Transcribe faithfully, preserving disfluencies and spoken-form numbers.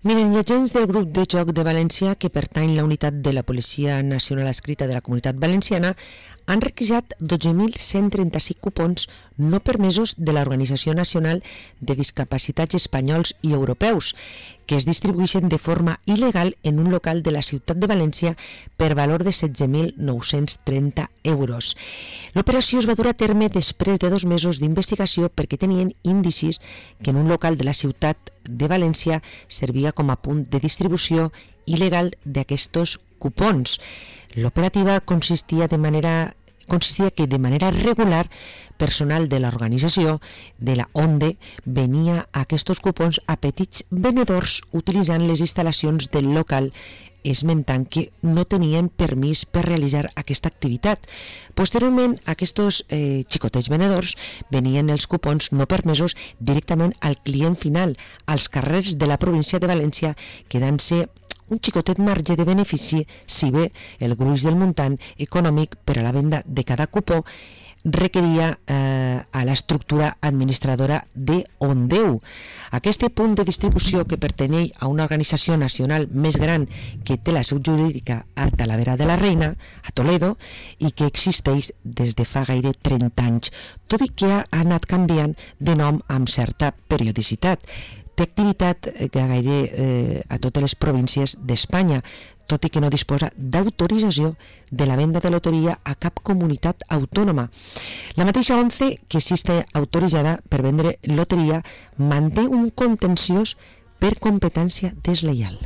Miren, els agents del grup de joc de València, que pertany a la unitat de la Policia Nacional Adscrita de la Comunitat Valenciana, han requisat dotze mil cent trenta-cinc cupons no permesos de l'Organització Nacional de Discapacitats Espanyols i Europeus, que es distribueixen de forma il·legal en un local de la ciutat de València per valor de setze mil nou-cents trenta euros. L'operació es va dur a terme després de dos mesos d'investigació perquè tenien indicis que en un local de la ciutat de València servia com a punt de distribució il·legal d'aquests cupons. L'operativa consistia de manera consistia que de manera regular personal de l'organització de la ONDE venia a aquests cupons a petits venedors utilitzant les instal·lacions del local, esmentant que no tenien permís per realitzar aquesta activitat. Posteriorment, aquests eh, xicotets venedors venien els cupons no permesos directament al client final, als carrers de la província de València, quedant-se un xicotet marge de benefici si bé el gruix del muntant econòmic per a la venda de cada cupó requeria eh, a l'estructura administradora de Ondeu. Aquest punt de distribució, que pertany a una organització nacional més gran que té la seu jurídica a Talavera de la Reina, a Toledo, i que existeix des de fa gaire trenta anys, tot i que ha anat canviant de nom amb certa periodicitat. Té activitat gairebé eh, a totes les províncies d'Espanya, tot i que no disposa d'autorització de la venda de loteria a cap comunitat autònoma. La mateixa ONCE, que sí està autoritzada per vendre loteria, manté un contenciós per competència deslleial.